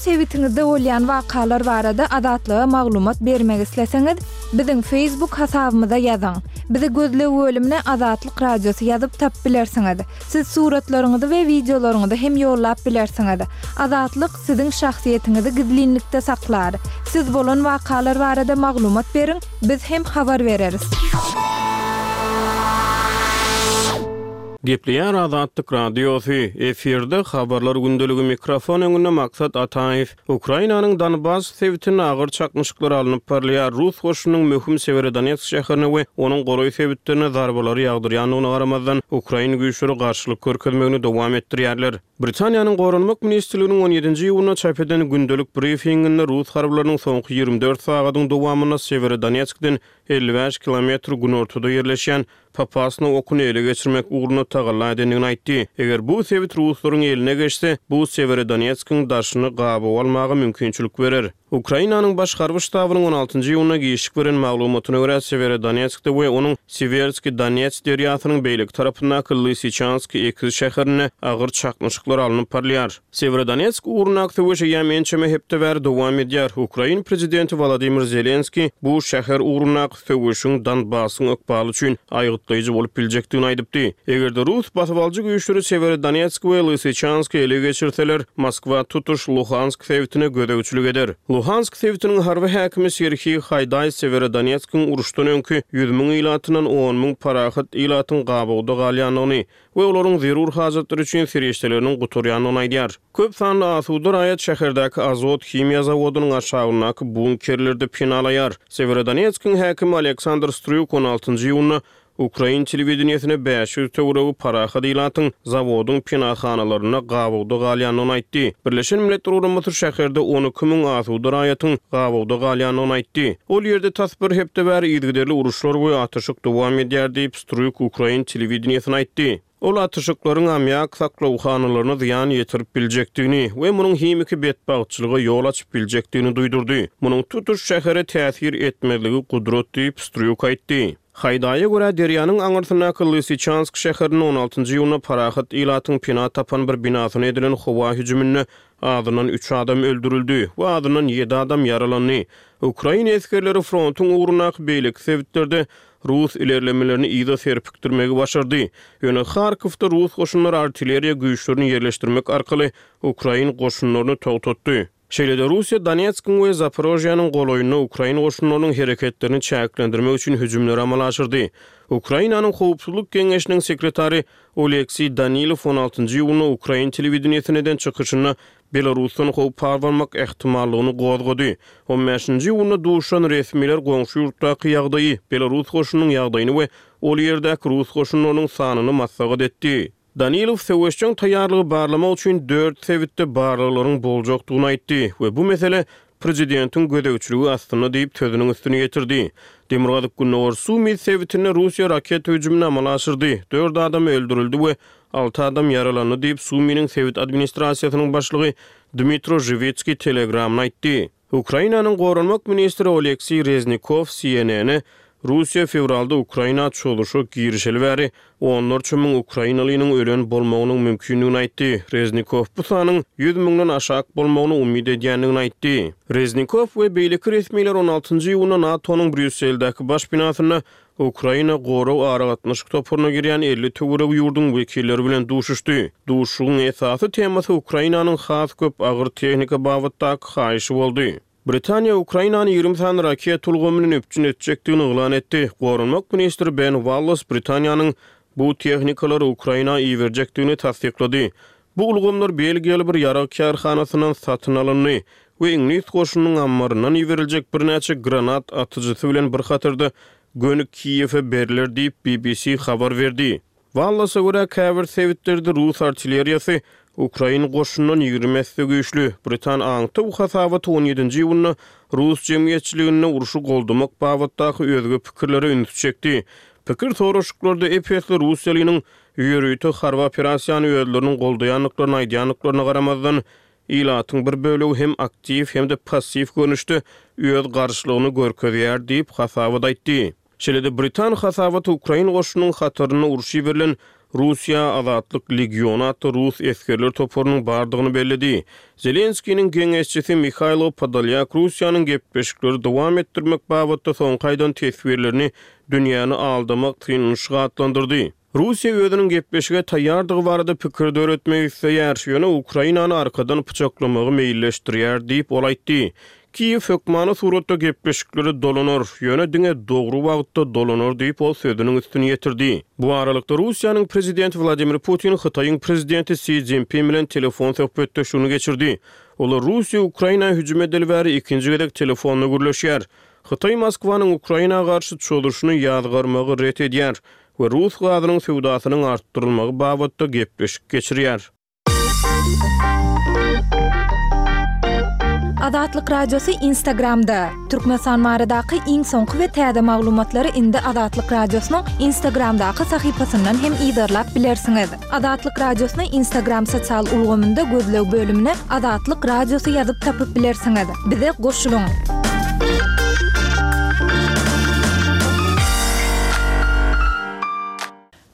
sebitiňizde bolýan wakalar barada Azatlyga maglumat bermek isleseňiz, biziň Facebook hasabymyza ýazyň. Bizi gözleg bölümine Azatlyk Radiosy ýazyp tapyp bilersiňiz. Siz suratlaryňyzy we wideolaryňyzy hem ýollap bilersiňiz. Azatlyk siziň şahsyýetiňizi gizlinlikde saklar. Siz bolan wakalar barada maglumat beriň, biz hem habar bereris. Gepleýär Azatlyk Radiosy, efirde Habarlar gündeligi mikrofon öňünde Maksat Ataýew. Ukrainanyň Donbass sebitinde agyr çaknyşyklar alnyp barylýar. Rus goşunynyň möhüm Sewerodonetsk şäherine we onuň golaý sebitlerine zarbalary ýagdyrýandygyna garamazdan, ukrain güýçleri garşylyk görkezmegini dowam etdirýärler. Britaniýanyň Goranmak ministrliginiň on ýedinji iýunda çap eden gündelik brifinginde rus harbylarynyň soňky 24 sagadyň dowamynda Sewerodonetskden 55 kilometr günortada ýerleşýän Popasna okuny ele geçirmek ugrunda tagalla edendigini aýtdy. Eger bu sebit ruslaryň eline geçse, bu Sewerodonetskiň daşyny gabawa almaga mümkinçilik berer. Ukrainanyň Baş harby ştabynyň on altynjy iýunda giçlik beren maglumatyna görä, Sewerodonetskde we onuň Siwerskiý Donets derýasynyň beýleki tarapyndaky Lysyçansk ekiz şäherinde agyr çaknyşyklar alnyp barylýar. Sewerodonetsk ugrundaky söweş eýýäm ençeme hepde bäri dowam edýär. Ukrain prezidenti Wolodymyr Zelenskiý bu şäher ugrundaky söweşiň Donbassyň ykbaly üçin aýgytlaýjy bolup biljekdigini aýdypdy. Eger-de rus basybalyjy güýçleri Sewerodonetsk we Lysyçansky ele geçirseler, Moskwa tutuş Luhansk sebitine gözegçilik eder. Luhansk sebitiniň harby häkimi Serhiý Haýdaý Sewerodonetskiň uruşdan öňki 100 müň ilatyndan 10 müň parahat ilatyň gabawda galýandygyny we olaryň zerur hajatlary üçin serişdeleriniň gutarýandygyny aýdýar. Köp sanly asuda raýat şäherdäki Azot himiýa zawodynyň aşagyndaky bunkerlerde penalaýar. Sewerodonetskiň häkimi Aleksandr Strýuk on altynjy iýunda ukrain telewideniýesine 500 töweregi parahat ilatyň zawodyň penahanalarynda gabawda galýandygyny aýtdy. Birleşen Milletler Guramasy şäherde 12 müň asuda raýatyň gabawda galýandygyny aýtdy. Ol ýerde tas bir hepde bäri yzygiderli uruşlar we atyşyk dowam edýär diýip, Strýuk ukrain telewideniýesine aýtdy. Ol atyşyklaryň ammiak saklawhanalaryna zyýan ýetirip biljekdigini we munuň himiki betbagtçylyga ýol açyp biljekdigini duýdurdy. Munuň tutuş şähere täsir etmezligi gudrat diýip, Strýuk aýtdy. Haýdaýa görä, derýanyň aňyrsyndaky Lysyçansk şäherinde on altynjy iýunda parahat ilatyň pena tapan bir binasyna edilen howa hüjüminde azyndan üç adam öldürildi we azyndan ýedi adam ýaralandy. Ukrain esgerleri frontuň ugrundaky beýleki sebitlerde rus ilerlemelerini yza serpikdirmegi başardy. Ýöne Harkowda rus goşunlary artilleriýa güýçlerini ýerleşdirmek arkaly ukrain goşunlaryny togtatdy. Şeýle-de Russiýa Donetskiň we Zaporožýanyň golaýynda ukrain goşunlarynyň hereketlerini çäklendirmek üçin hüjümleri amala aşyrdy. Ukrainanyň Howpsuzlyk geňeşiniň sekretary Oleksiý Danilow on altynjy iýunda ukrain telewideniýesinde eden çykyşynda Belarusdan howp abanmak ähtimallygyny gozgady. On bäşinji iýunda duşan resmiler goňşy ýurtdaky ýagdaýy, belarus goşunynyň ýagdaýyny we ol ýerdäki rus goşunlarynyň sanyny maslahat etdi. Danilow söweşjeň taýýarlygy barlamak üçin dört sebitde barlaglaryň boljakdygyny aýtdy we bu mesele prezidentiň gözegçiligi astynda diýip sözüniň üstüni ýetirdi. Demirgazyk-gündogar Sumy sebitinde Russiýa raketa hüjümini amala aşyrdy, dört adam öldürildi we Alty adam ýaralandy diýip, Suminiň sebit administrasiýasynyň başlygy Dmitro Žiwitskiý Telegramda aýtdy. Ukrainanyň goranmak ministri Oleksiý Reznikow CNN-e Russiýa fewralda Ukraina çozuşa girişeli bäri onlarça müň ukrainalynyň ölen bolmagynyň mümkindigini aýtdy. Reznikow bu sanyň ýüz müňden aşak bolmagyny umyt edýändigini aýtdy. Reznikow we beýleki resmiler on altynjy iýunda NATO-nyň Brýusseldäki baş binasynda Ukraina gorag aragatnaşyk toparyna girýän 50 töweregi ýurduň wekilleri bilen duşuşdy. Duşuşygyň esasy temasy Ukrainanyň has köp agyr tehnika babatdaky haýyşy boldy. Britaniýa Ukrainany 20 sany raketa ulgamy bilen üpjün etjekdigini yglan etdi. Goranmak ministri Ben Wallas Britaniýanyň bu tehnikalary Ukraina iberjekdigini tassyklady. Bu ulgamlar belgiýaly bir ýarag kärhanasyndan satyn alyndy we iňlis goşunynyň ammaryndan iberiljek birnäçe granat atyjysy bilen bir hatarda göni Kiýewe berler diýip, BBC habar berdi. Wallasa görä, käbir sebitlerde rus artilleriýasy ukrain goşunyndan 20 esse güýçli. Britan aňtaw hasabaty on ýedinji iýunda rus jemgyýetçiliginde urşy goldamak babatdaky özge pikirlere ünsi çekdi. Pikir soraşyklarda ep-esli russiýalynyň Ýörite harby operasiýany özleriniň goldaýandyklaryny aýdýandyklaryna garamazdan, ilatyň bir bölegi hem aktiw, hem-de passiw görnüşde öz garşylygyny görkezýär diýip, hasabat aýtdy. Şeýle-de britan hasabaty ukrain goşunynyň hatarynda urşa iberilen Russiýa Azatlyk legiony atly rus esgerler toparynyň bardygyny belledi. Zelenskiniň geňeşçisi Mihailo Podolýak Russiýanyň gepleşikleri dowam etdirmek babatda soňky aýdan teswirlerini dünýäni aldamak synanyşygy atlandyrdy. Russiýa özüniň gepleşige taýýardygy barada pikir döretmek isleýär, ýöne Ukrainany arkadan pyçaklamagy meýilleşdirýär diýip, ol aýtdy. Kiýew hökmany suratda gepleşiklere dolanar, ýöne diňe dogry wagtda dolanar diýip, ol sözüniň üstüni ýetirdi. Bu aralykda, Russiýanyň prezidenti Wladimir Putin Hytaýyň prezidenti Si Szinpin bilen telefon söhbetdeşligini geçirdi. Olar Russiýa Ukraina hüjüm edeli bäri ikinji gezek telefonda gürleşýär. Hytaý Moskwanyň Ukraina garşy çozuşyny ýazgarmagy ret edýär we rus gazynyň söwdasynyň artdyrylmagy babatda gepleşik geçirýär. Azatlyk Radiosy Instagramda, Türkmenistan baradaky iň soňky we täze maglumatlary indi Azatlyk Radiosynyň Instagramdaky sahypasyndan hem yzarlap bilersiňiz. Azatlyk Radiosyny Instagram sosial ulgamynda gözleg bölümine Azatlyk Radiosy ýazyp tapyp bilersiňiz. Bize goşulyň!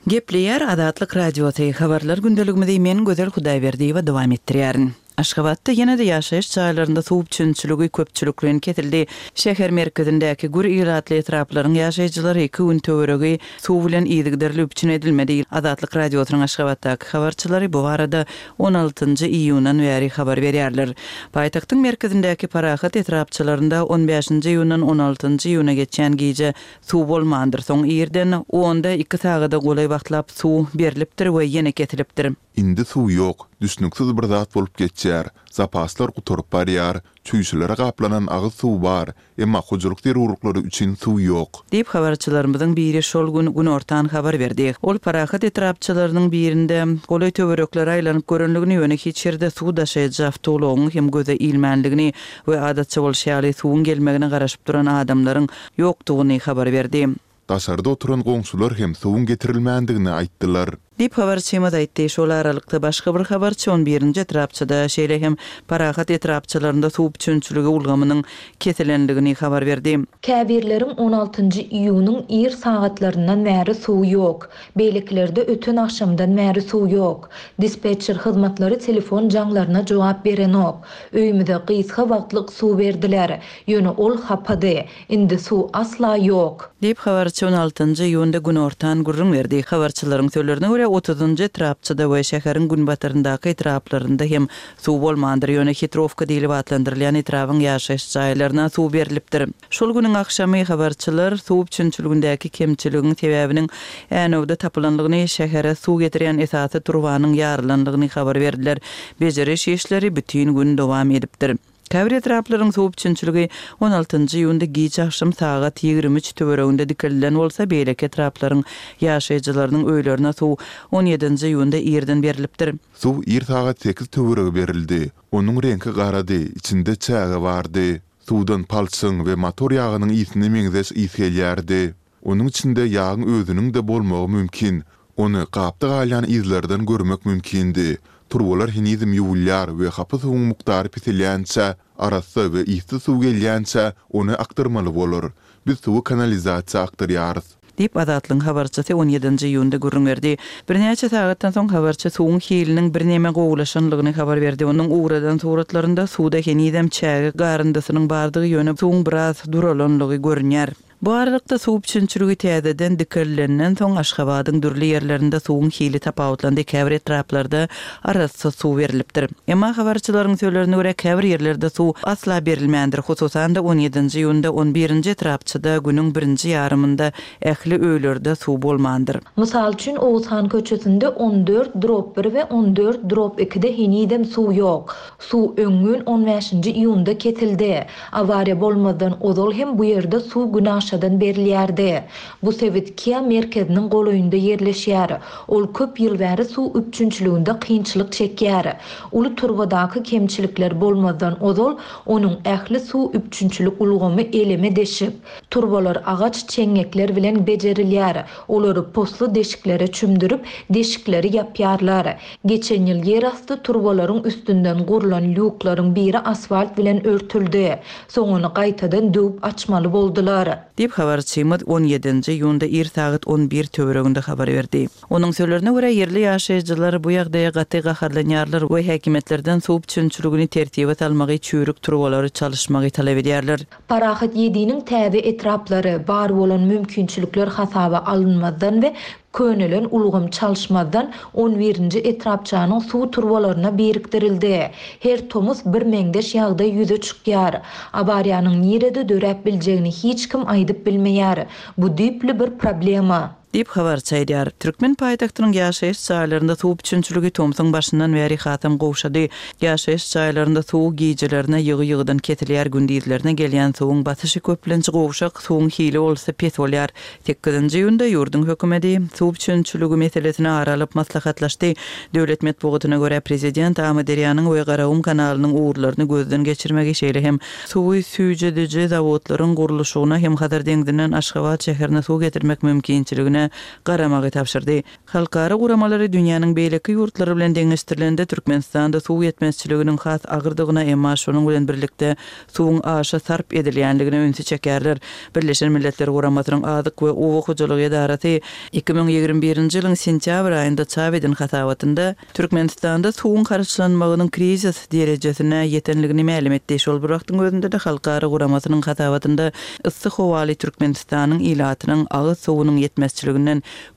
Gepleýär Azatlyk Radiosy, Habarlar gündeligimizi men Gözel Hudaýberdiýewa dowam etdirýärin. Aşgabatda ýene-de ýaşaýyş jaýlarynda suw üpjünçiligi köpçülikleýin kesildi. Şäher merkezindäki gür ilatly etraplaryň ýaşaýjylary iki gün töweregi suw bilen yzygiderli üpjün edilmedi. Azatlyk Radiosynyň Aşgabatdaky habarçylary bu barada on altynjy iýundan bäri habar berýärler. Paýtagtyň merkezindäki Parahat etrapçalarynda on bäşinji iýundan on altynjy iýuna geçýän gije suw bolmandyr. Soň irden onda iki sagada golaý wagtlap suw berlipdir we ýene kesilipdir. Indi suw ýok. Düşnüksiz bir zat bolup geçýär. Zapaslar gutaryp barýar. Çüýşelere gaplanan agyz suw bar, emma hojalyk zerurlyklary üçin suw ýok. Diýip, habarçylarymyzyň biri şol gün günortan habar berdi. Ol Parahat etrapçalarynyň birinde golaý töwereklere aýlanyp görenligini, ýöne hiç ýerde suw daşaýjy awtoulagyň hem göze ilmänligini we adatça bolşy ýaly suwuň gelmegine garaşyp duran adamlaryň ýokdugyny habar berdi. Daşarda oturan goňşular hem suwuň getirilmändigini aýtdylar. Diýip, habarçymyz aýtdy. Şol aralykda, başga bir habarçy on birinji etrapçada, şeýle hem Parahat etrapçalarynda suw üpjünçiligi ulgamynyň kesilendigini habar berdi. Käbirleriň on altynjy iýunyň ir sagatlaryndan bäri suwy ýok. Beýlekilerde öten agşamdan bäri suw ýok. Dispetçer hyzmatlary telefon jaňlaryna jogap berenok. Öýümize gysga wagtlyk suw berdiler. Ýöne ol hapady. Indi suw asla ýok. Diýip, habarçy on altynjy iýunda günortan gürrüň berdi. Habarçylaryň sözlerine görä, otuzynjy etrapçada we şäheriň günbataryndaky etraplarynda hem suw bolmandyr, ýöne Hitrowka diýlip atlandyrylýan etrabyň ýaşaýyş jaýlaryna suw berlipdir. Şol günüň agşamy habarçylar suw üpjünçiligindäki kemçiligiň sebäbiniň Änewde tapylandygyny, şähere suw getirýän esasy turbanyň ýarylandygyny habar berdiler. Bejeriş işleri bütin gün dowam edipdir. Käbir etraplaryň suw üpjünçiligi on altynjy iýunda giç agşam sagat 23 töwereginde dikeldilen bolsa, beýleki etraplaryň ýaşaýjylarynyň öýlerine suw on ýedinji iýunda irden berlipdir. Suw ir sagat sekiz töweregi berildi. Onuň reňki garady, içinde çäge bardy. Suwdan palçygyň we motor ýagynyň ysyna meňzeş ys gelýärdi. Onuň içinde ýagyň özüniň-de bolmagy mümkin. Ony gapda galýan yzlardan görmek mümkindi. Turbalar henizem ýuwulýar we hapa suwuň mukdary peselýänçä, arassa we yssyz suw gelýänçä, ony akdyrmaly bolar. Biz suwy kanalizasiýa akdyrýarys. Diýip, Azatlygyň habarçysy on ýedinji iýunda gürrüň berdi. Birnäçe sagatdan soň habarçy suwuň hiliniň birneme gowulaşanlygyny habar berdi. Onuň ugradan suratlarynda suwda henizem çäge garyndysynyň bardygy, ýöne suwuň biraz duralanlygy görünýär. Bu aralykda, suw üpjünçiligi täzeden dikelilenden soň, Aşgabadyň dürli ýerlerinde suwuň hili tapawutlandy, käbir etraplarda arassa suw berlipdir. Emma habarçylaryň sözlerine görä, käbir ýerlerde suw asla berilmändir, hususan-da, on ýedinji iýunda on birinji etrapçada günüň birinji ýarymynda ähli öýlerde suw bolmandyr. Mysal üçin, Oguzhan köçesinde on dört drop bir we on dört drop ikide henizem suw ýok. Suw öňňün on bäşinji iýunda kesildi. Awariýa bolmazdan ozal hem bu ýerde suw günaşadan berilýärdi. Bu sebit Kia merkeziniň golaýynda ýerleşýär. Ol köp ýyl bäri suw üpjünçiliginde kynçylyk çekýär. Uly turbadaky kemçilikler bolmazdan ozal onuň ähli suw üpjünçilik ulgamy eleme deşik. Turbalar agaç çeňňekler bilen bejerilýär. Olary posly deşiklere çümdürip, deşikleri ýapýarlar. Geçen ýyl ýerasty turbalaryň üstünden gurlan lýuklaryň biri asfalt bilen örtüldi. Soň ony gaýtadan döwüp açmaly boldular. Diýip, habarçymyz on ýedinji iýunda ir sagat on bir töwereginde habar berdi. Onuň sözlerine görä, ýerli ýaşaýjylar bu ýagdaýa gaty gaharlanýarlar we häkimiýetlerden suw üpjünçiligini tertibe salmagy, çüýrük turbalary çalyşmagy talap edýärler. Parahat Ýediniň täze etraplary, bar bolan mümkinçilikler hasaba alynmazdan we könelen ulgam çalyşmazdan on birinji etrapçanyň suw turbalaryna birikdirildi. Her tomus birmeňzeş ýagdaý ýüze çykýar. Awariýanyň nirede döräp biljegini hiç kim aýdyp bilmeýär. Bu düýpli bir problema. Diýip, habarçy aýdýar. Türkmen paýtagtynyň ýaşaýyş jaýlarynda suw üpjünçiligi tomsuň başyndan bäri hasam gowşady. Ýaşaýyş jaýlarynda suw gijelerine ýygy-ýygydan kesilýär, gündizlerine gelýän suwuň basyşy köplenç gowşak, suwuň hili bolsa pes bolýar. Sekizinji iýunda ýurduň hökümeti suw üpjünçiligi meselesini ara alyp maslahatlaşdy. Döwlet metbugatyna görä, prezident Amyderýanyň we Garagum kanalynyň ugurlaryny gözden geçirmegi, şeýle hem suwy süýjediji zawodlaryň gurluşygyna hem Hazar deňzinden Aşgabat şäherine suw getirmek mümkinçiligine garamagy tabşyrdy. Halkara guramalary dünýäniň beýleki ýurtlary bilen deňeşdirilende Türkmenistanda suw ýetmezçiliginiň has agyrdygyna, emma şonuň bilen birlikde suwuň aşa sarp edilýänligine ünsi çekýärler. Birleşen Milletler Guramasynyň Azyk we oba hojalygy edarasy 2021-nji ýylyň sentýabr aýynda çap eden hasabatynda Türkmenistanda suwuň harçlanmagynyň krizis derejesine ýetenligini mälim etdi. Şol bir wagtyň özünde-de halkara guramasynyň hasabatynda yssy howaly Türkmenistanyň ilatynyň agyz suwunyň ýetmezçiliginden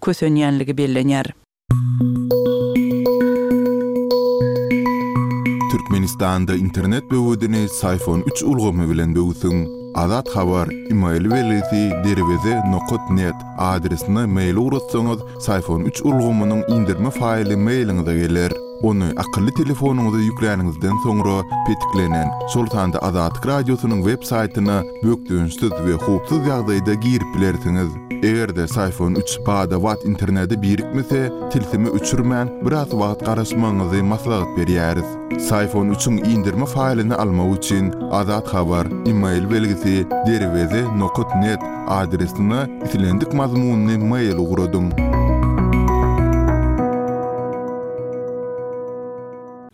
kösenýänligi bellenýär. Türkmenistanda internet böwedini Syfon üç ulgamy bilen böwsüň. Azat Habar, email belgisi derweze nokat net adresine mail ugratsaňyz, Syfon üç ulgamynyň indirme faýly mailiňize geler. Ony akylly telefonyňyza ýükläniňizden soňra petiklenen, şol sanda Azatlyk Radiosynyň web saýtyna bökdençsiz we howpsuz ýagdaýda girip bilersiňiz. Eger-de Syfon üç bada-bat internete birikmese, tilsimi öçürmän, biraz wagt garaşmagyňyzy maslahat berýäris. Syfon üçiň indirme faýlyny almak üçin Azat Habar, email belgisi, derweze nokat net adresine islendik mazmunly mail ugradyň.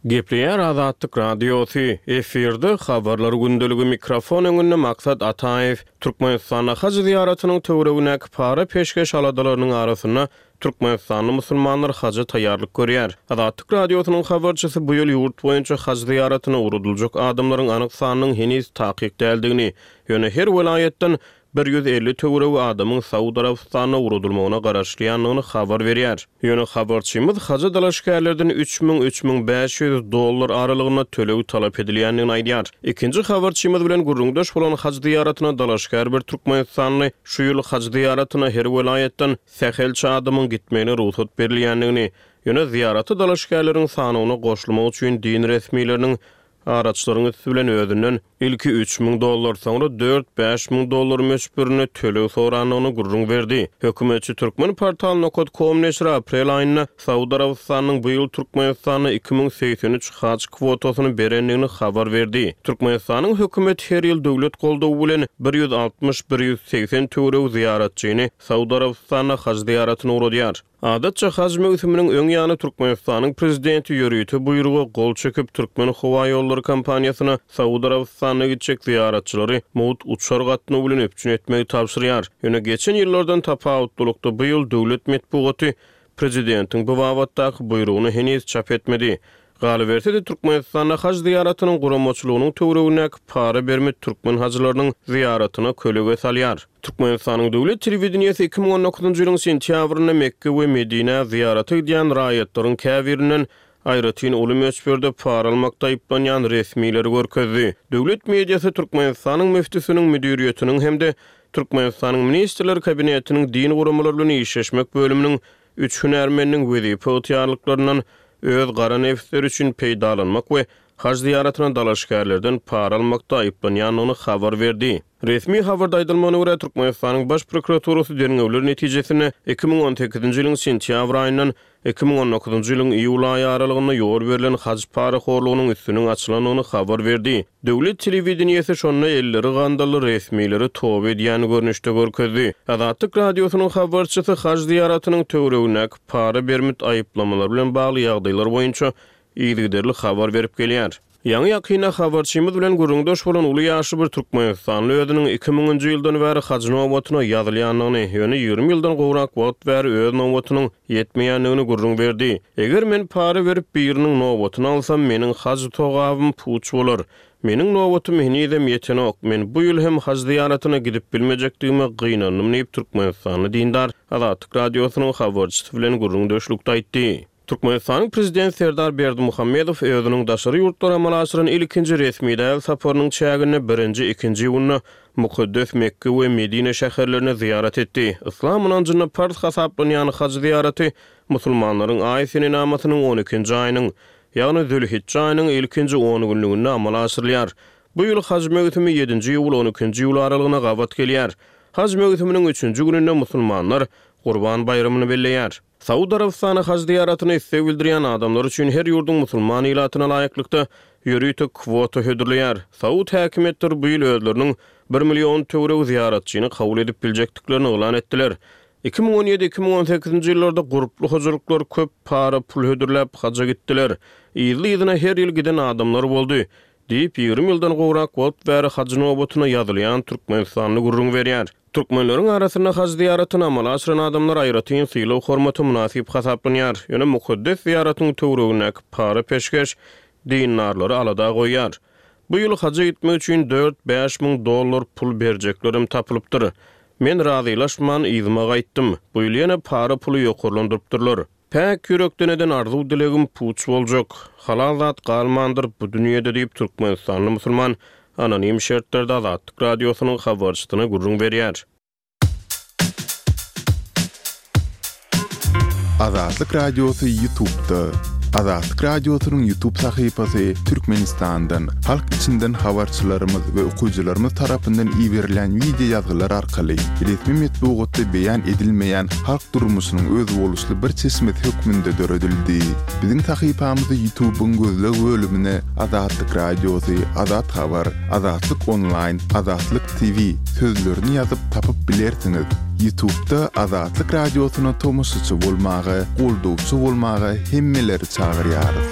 Gepleýär Azatlyk Radiosy, efirde Habarlar gündeligi mikrofon öňünde Maksat Ataýew. Türkmenistanda haj zyýaratynyň töweregindäki para-peşgeş aladalarynyň arasynda Türkmenistanly musulmanlar haja taýýarlyk görýär. Azatlyk Radiosynyň habarçysy bu ýyl ýurt boýunça haj zyýaratyna ugradyljak adamlaryň anyk sanynyň heniz takyk däldigini, ýöne her welaýatdan 150 töweregi adamyň Saud Arabystanyna ugradylmagyna garaşylýandygyny habar berýär. Ýöne habarçymyz haja dalaşgärlerden 3000, 3500 dollar aralygynda töleg talap edilýändigini aýdýar. Ikinji habarçymyz bilen gürrüňdeş bolan haj zyýaratyna dalaşgär bir türkmenistanly şu ýyl haj zyýaratyna her welaýatdan sähelçe adamyň gitmegine rugsat berilýändigini, ýöne zyýarata dalaşgärleriň sanawyna goşulmak üçin din resmileriniň araçylaryň üsti bilen özünden ilki 3000 dollar, soňra dört-bäş müň dollar möçberinde töleg sorandygyny gürrüň berdi. Hökümetçi Turkmenportal nokat kom neşiri aprel aýynda Saud Arabystanynyň bu ýyl Türkmenistana 2083 haj kwotasyny berendigini habar berdi. Türkmenistanyň hökümeti her ýyl döwlet goldawy bilen bir ýüz altmyş-bir ýüz segsen töweregi zyýaratçyny Saud Arabystanyna haj zyýaratyna ugradýar. Adatça haj möwsüminiň öň ýany Türkmenistanyň Prezidenti ýörite buýruga gol çekip, Türkmenhowaýollary kompaniýasyna Saud Arabystanyna gitjek zyýaratçylary mugt uçar gatnawy bilen üpjün etmegi tabşyrýar. Ýöne geçen ýyllardan tapawutlylykda bu ýyl döwlet metbugaty Prezidentiň bu babatdaky buýrugyny heniz çap etmedi. Galyberse-de, Türkmenistanda haj zyýaratynyň guramaçylygynyň töweregindäki para berme türkmen hajylarynyň zyýaratyna kölege salýar. Türkmenistanyň döwlet telewideniýesi 2019-njy ýylyň sentýabrynda Mekge we Medinä zyýarata gidýän raýatlaryň käbirinden aýratyn uly möçberde para almakda aýyplanýan resmileri görkezdi. Döwlet mediasy Türkmenistanyň müftüsiniň müdiriýetiniň hem-de Türkmenistanyň Ministrler Kabinetiniň din guramalary bilen işleşmek bölüminiň üç hünärmeniniň wezipe ygtyýarlyklaryndan öz gara nebisleri üçin peýdalanmak we haj zyýaratyna dalaşgärlerden para almakda aýyplanýandygyny habar berdi. Resmi habarda aýdylmagyna görä, Türkmenistanyň Baş prokuraturasy derňewler netijesinde 2018-nji ýylyň sentýabr aýyndan 2019-njy ýylyň iýul aýy aralygynda ýol berlen haj parahorlugynyň üstüniň açylandygyny habar berdi. Döwlet telewideniýesi şonda elleri gandally resmileri toba edýän görnüşde görkezdi. Azatlyk Radiosynyň habarçysy haj zyýaratynyň töweregindäki para bermit aýyplamalar bilen bagly ýagdaýlar boýunça yzygiderli habar berip gelýär. Ýaňy-ýakynda habarçymyz bilen gürrüňdeş bolan uly ýaşly bir türkmenistanly özüniň iki müňünji ýyldan bäri haj nobatyna ýazylýandygyny, ýöne 20 ýyldan gowrak wagt bäri öz nobatynyň ýetmeýändigini gürrüň berdi. Eger men para berip biriniň nobatyny alsam, meniň haj togabym puç bolar. Meniň nobatym henizem ýetenok. Men bu ýyl hem haj zyýaratyna gidip bilmejekdigime gynandym diýip, türkmenistanly dindar Azatlyk Radiosynyň habarçysy bilen gürrüňdeşlikde aýtdy. Türkmenistanyň Prezidenti Serdar Berdimuhamedow özüniň daşary ýurtlara amala aşyran ilkinji resmi däl saparynyň çäginde birinji, ikinji iýunda mukaddes Mekge we Medine şäherlerine zyýarat etdi. Yslam ynanjynda parz hasaplanýan haj zyýaraty musulmanlaryň aý senenamasynyň on ikinji aýynyň, ýagny zülhijje aýynyň ilkinji on günlüginde amala aşyrylýar. Bu ýyl haj möwsümi ýedinji iýul, on ikinji iýul aralygyna gabat gelýär. Haj möwsüminiň üçünji gününde musulmanlar Gurban baýramyny belleýär. Saud Arabystany haj zyýaratyna isleg bildirýän adamlar üçin her ýurduň musulman ilatyna laýyklykda ýörite kwota hödürleýär. Saud häkimiýetleri bu ýyl özleriniň bir million töweregi zyýaratçyny kabul edip biljekdiklerini yglan etdiler. 2017, 2018-nji ýyllarda gurply hojalyklar köp para pul hödürläp haja gitdiler. Yzly-yzyna her ýyl giden adamlar boldy, diýip, 20 ýyldan gowrak wagt bäri haj nobatyna ýazylýan türkmenistanly gürrüň berýär. Türkmenleriň arasynda haj zyýaratyny amala aşyran adamlar aýratyn sylag-hormata mynasyp hasaplanýar. Ýöne mukaddes zyýaratyň töweregindäki para-peşgeş dindarlary alada goýýar. Bu ýyl haja gitmek üçin dört-bäş müň dollar pul berjeklerem tapylypdyr. Men razylaşman yzyma gaýtdym. Bu ýyl ýene para puly ýokarlandyrypdyrlar. Päk ýürekden eden arzuw-dilegim puç boljak. Halal zat galmandyr bu dünýede diýip, türkmenistanly musulman anonim şertlerde Azatlyk Radiosynyň habarçysyna gürrüň berýär. Azatlyk Radiosy Ýutubda. Azatlyk Radiosynyň Ýutub sahypasy Türkmenistandan, halk içinden habarçylarymyz we okyjylarymyz tarapyndan iberilýän wideo ýazgylar arkaly resmi metbugatda beýan edilmeýän halk durmuşynyň özboluşly bir çeşmesi hökmünde döredildi. Biziň sahypamyzy Ýutubyň gözleg bölümine Azatlyk Radiosy, Azat Habar, Azatlyk Onlaýn, Azatlyk TV sözlerini ýazyp tapyp bilersiňiz. Ýutubda Azatlyk Radiosyna tomaşaçy bolmaga, goldawçy bolmaga hemmeleri çagyrýarys.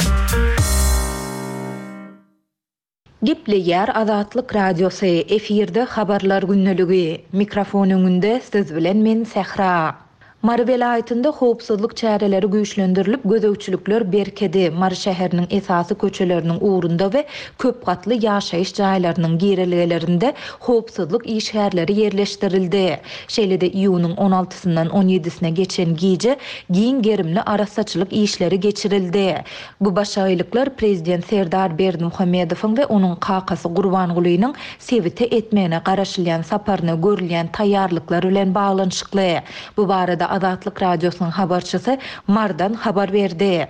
Gepleýär Azatlyk Radiosy, efirde Habarlar gündeligi. Mikrofon öňünde siz bilen men Sähra. Mary welaýatynda howpsuzlyk çäreleri güýçlendirilip, gözegçilikler berkedi. Mary şäheriniň esasy köçeleriniň ugrunda we köp gatly ýaşaýyş jaýlarynyň girelgelerinde howpsuzlyk işgärleri ýerleşdirildi. Şeýle-de iýunyň on altysyndan on ýedisine geçen gije giň gerimli arassaçylyk işleri geçirildi. Bu başagaýlyklar prezident Serdar Berdimuhamedowyň we onuň kakasy Gurbangulynyň sebite etmegine garaşylýan saparyna görülýän taýýarlyklar bilen baglanyşykly. Bu barada Azatlyk Radiosynyň habarçysy Marydan habar berdi.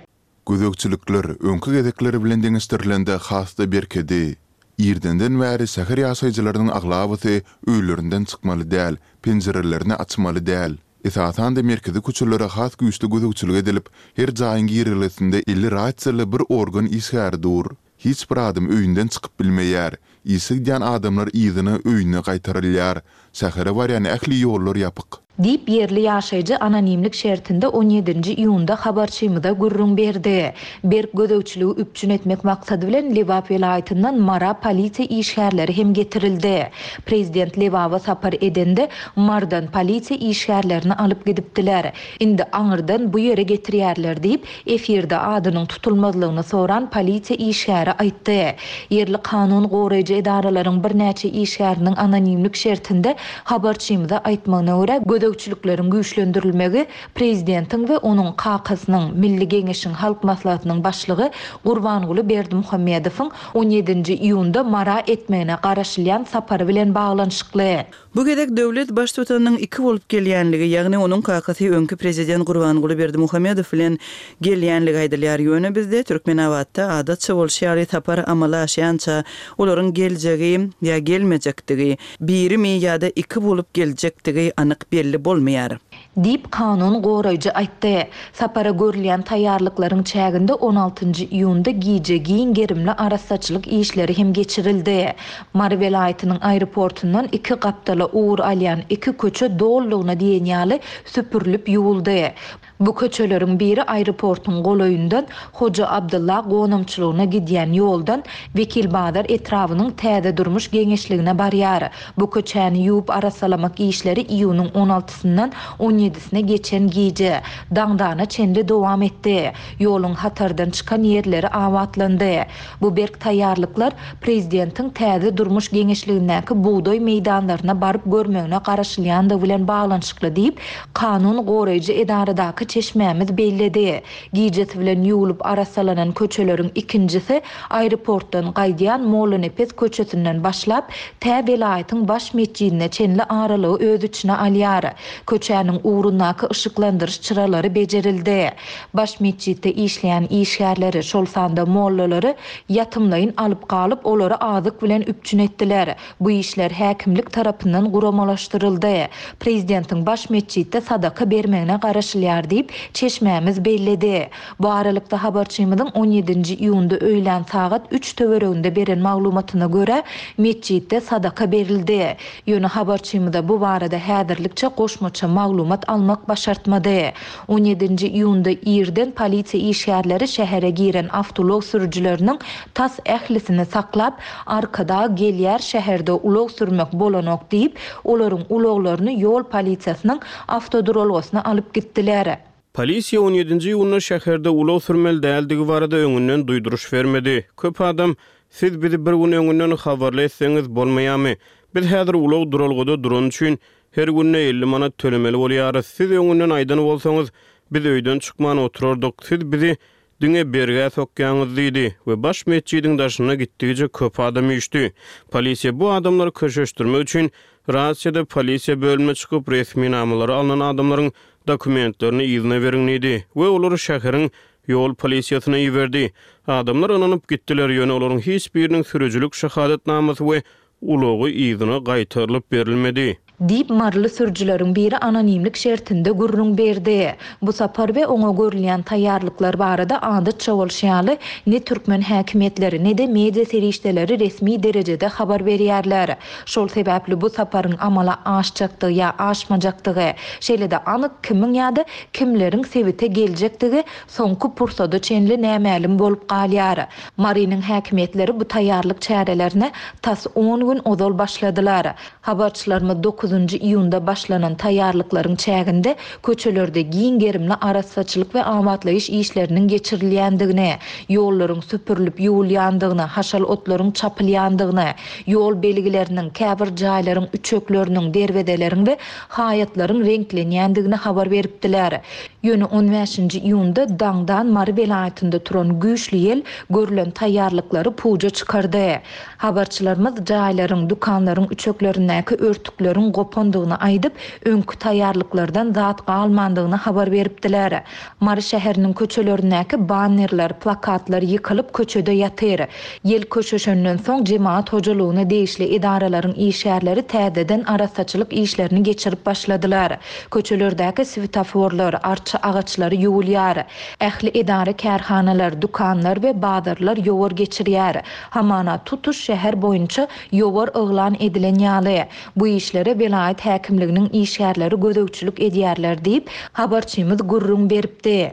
Gözegçilikler öňki gezekler bilen deňeşdirilende has-da berkedi. Irdenden bäri şäher ýaşaýjylarynyň aglabasy öýlerinden çykmaly däl, penjirelerini açmaly däl. Esasan-da merkezi köçelere has güýçli gözegçilik edilip, her jaýyň girelgesinde eli rasiýaly bir organ işgäri dur. Hiç bir adam öýünden çykyp bilmeýär. Işe gidýän adamlar yzyna öýüne gaýtarylýar. Şähere barýan ähli ýollar ýapyk. Diýip, ýerli ýaşaýjy anonimlik şertinde on ýedinji iýunda habarçymyza gürrüň berdi. Berk gözegçiligi üpjün etmek maksady bilen Lebap welaýatyndan Mara polisiýa işgärleri hem getirildi. Prezident Lebaba sapar edende, Marydan polisiýa işgärlerini alyp gidipdiler. Indi aňyrdan bu ýere getirýärler diýip, efirde adynyň tutulmazlygyny soran polisiýa işgäri aýtdy. Ýerli kanun goraýjy edaralaryň birnäçe işgäriniň anonimlik şertinde habarçymyza aýtmagyna görä, gözegçilikleriň güýçlendirilmegi prezidentiň we onuň kakasynyň, Milli Geňeşiň Halk Maslahatynyň başlygy Gurbanguly Berdimuhamedowyň on ýedinji iýunda Mara etmegine garaşylýan sapary bilen baglanyşykly. Bu gezek döwlet Baştutanynyň iki bolup gelýänligi, ýagny onuň kakasy öňki prezident Gurbanguly Berdimuhamedow bilen gelýänligi aýdylýar. Ýöne bizde, Türkmenabatda, adatça bolşy ýaly sapar amala aşýança olaryň geljegi ýa gelmejekdigi, birimi ýa-da iki bolup geljekdigi anyk belli bolmaýar. Diýip, kanun goraýjy aýtdy. Sapara görülýän taýýarlyklaryň çäginde on altynjy iýunda gije giň gerimli arassaçylyk işleri hem geçirildi. Mary welaýatynyň aeroportundan iki gapdala ugur alýan iki köçe dolulygyna diýen ýaly süpürilip ýuwuldy. Bu köçeleriň biri aeroportuň golaýyndan Hoja Abdylla gonamçylygyna gidýän ýoldan Wekilbazar etrabynyň Täze durmuş geňeşligine barýar. Bu köçäni ýuwup arassalamak işleri iýunyň on altysyndan on ýedisine geçen gije, daňdana çenli dowam etdi. Ýoluň hatardan çykan ýerleri abatlandy. Bu berk taýýarlyklar prezidentiň Täze durmuş geňeşligindäki bugdaý meýdanlaryna baryp görmegine garaşylýandygy bilen baglanyşykly diýip, kanun goraýjy edaradaky çeşmämiz belledi. Gijesi bilen ýuwlup arassalanan köçeleriň ikinjisi aeroportdan gaýdýan Mollanepes köçesinden başlap, tä welaýatyň baş metjidine çenli aralygy öz içine alýar. Köçäniň ugrundaky yşyklandyryş çyralary bejerildi. Baş metjitde işleýän işgärleri, şol sanda mollalary ýatymlaýyn alyp galyp, olary azyk bilen üpjün etdiler. Bu işler häkimlik tarapyndan guramalaşdyryldy. Prezidentiň baş metjitde sadaka bermegine garaşylýar diýip, çeşmämiz belledi. Bu aralykda, habarçymyzyň on ýedinji iýunda öýlän sagat üç töwereginde beren maglumatyna görä, metjitde sadaka berildi. Ýöne habarçymyza bu barada häzirlikçe goşmaça maglumat almak başartmady. On ýedinji iýunda irden polisiýa işgärleri şähere giren awtoulag sürüjileriniň tas ählisini saklap, Arkadag gelýär, şäherde ulag sürmek bolanok diýip, olaryň ulaglaryny ýol polisiýasynyň awtoduralgasyna alyp gitdiler. Polisiýa on ýedinji iýunda şäherde ulag sürmeli däldigi barada öňünden duýduryş bermedi. Köp adam, Siz bizi bir gün öňünden habarly etseňiz bolmaýamy? Biz häzir ulag duralgada durany üçin Her günde 50 manat tölemeli bolýarys. Siz öňünden aýdan bolsaňyz, biz öýden çykman oturardyk. Siz bizi diňe bergä sokýaňyz diýdi we baş metjidiň daşyna gitdigiçe köp adam üýşdi. Polisiýa bu adamlary köşeşdirmek üçin rasiýada polisiýa bölümine çykyp, resminamalary alnan adamlaryň dokumentlerini yzyna beriň diýdi we olary şäheriň ýol polisiýasyna iberdi. Adamlar ynanyp gitdiler, ýöne olaryň hiç biriniň sürüjilik şahadatnamasy we Ulagy yzyna gaýtarylyp berilmedi. Diýip, maryly sürüjileriň biri anonimlik şertinde gürrüň berdi. Bu sapar we oňa görülýän taýýarlyklar barada adatça bolşy ýaly, ne türkmen häkimiýetleri, ne-de media serişdeleri resmi derejede habar berýärler. Şol sebäpli bu saparyň amala aşjakdygy ýa aşmajakdygy, şeýle-de anyk kimiň ýa-da kimleriň sebite geljekdigi soňky pursada çenli nämälim bolup galýar. Marynyň häkimiýetleri bu taýýarlyk çärelerine tas on gün ozal başladylar. Habarçylarymyz dokuzynjy iýunda başlanan taýýarlyklaryň çäginde köçelerde giň gerimli arassaçylyk we abatlaýyş işleriniň geçirilýändigini, ýollaryň süpürilip ýuwulýandygyny, haşal otlaryň çapylýandygyny, ýol belgileriniň, käbir jaýlaryň üçekleriniň, derwezeleriň we haýatlaryň reňklenýändigini habar beripdiler. Ýöne on bäşinji iýunda daňdan Mary welaýatynda turan güýçli ýel görlen taýýarlyklary puja çykardy. Habarçylarymyz jaýlaryň, dükanlaryň üçeklerindäki örtükleriň gopandygyny aýdyp, öňki taýýarlyklardan zat galmandygyny habar beripdiler. Mary şäheriniň köçelerindäki bannerler, plakatlar ýykylyp köçede ýatyr. Ýel köşeşenden soň jemagat hojalygyna degişli edaralaryň işgärleri täzeden arassaçylyk işlerini geçirip başladylar. Köçelerdäki swetoforlar, arça agaçlary ýuwulýar. Ähli edara-kärhanalar, dükanlar we bazarlar ýowar geçirýär. Hamana tutuş şäher boýunça ýowar yglan edilen ýaly. Bu işlere welaýat häkimliginiň işgärleri gözegçilik edýärler diýip, habarçymyz gürrüň beripdi.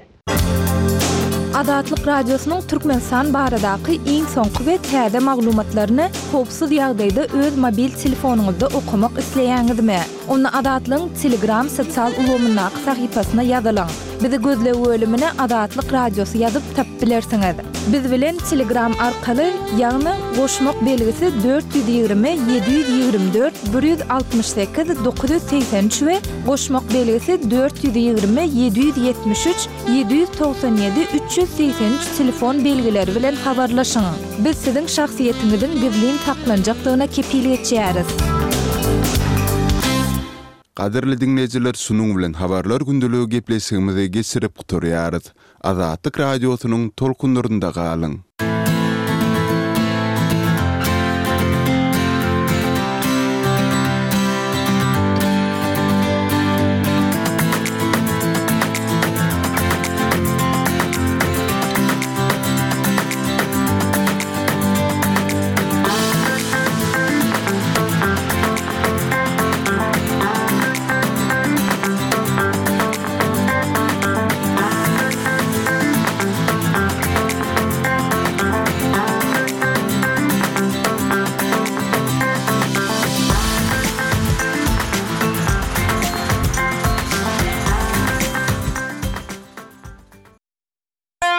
Azatlyk Radiosynyň Türkmenistan baradaky iň soňky we täze maglumatlaryny howpsuz ýagdaýda öz mobil telefonyňyzda okamak isleýäňizmi? Onda Azatlygyň Telegram sosial ulgamyndaky sahypasyna ýazylyň. Bizi gözleg bölümine Azatlyk Radiosy ýazyp tapyp bilersiňiz. Biz bilen Telegram arkaly, ýagny goşmak belgisi 420 724 168 983 we Goşmak belgisi 420 773 797 383 telefon belgileri bilen habarlaşyň. Biz siziň şahsyýetiňiziň gizlin saklanjakdygyna kepil geçýäris. Gadyrly diňleýjiler şunuň bilen Habarlar gündeligi gepleşigimizi geçirip gutarýarys. Azatlyk Radiosynyň tolkunlarynda galyň!